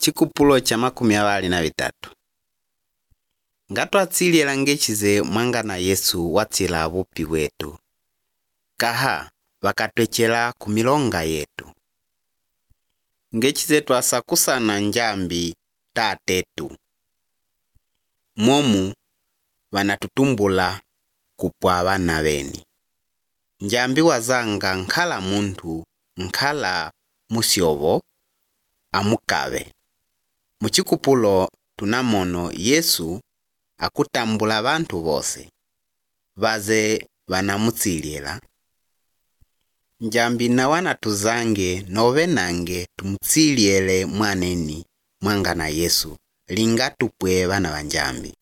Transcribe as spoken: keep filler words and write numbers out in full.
Chikupulo cha makumi awali na bitatu. Ngatwatsiliela ngechize mwangana Yesu watsila bupi wetu. Kaha wakatwechela kumilonga yetu. Ngechize twasakusana njambi tatetu. Momu wanatutumbula kupwa bana beni. Njambi wazanga nkhala muntu nkhala musyobo amukabe. Muchikupulo tunamono Yesu akutambula bantu bose. Baze banamutsiliela. Njambi na wana tuzange nove nange tumutsiliele mwaneni mwangana Yesu linga tupwe bana banjambi.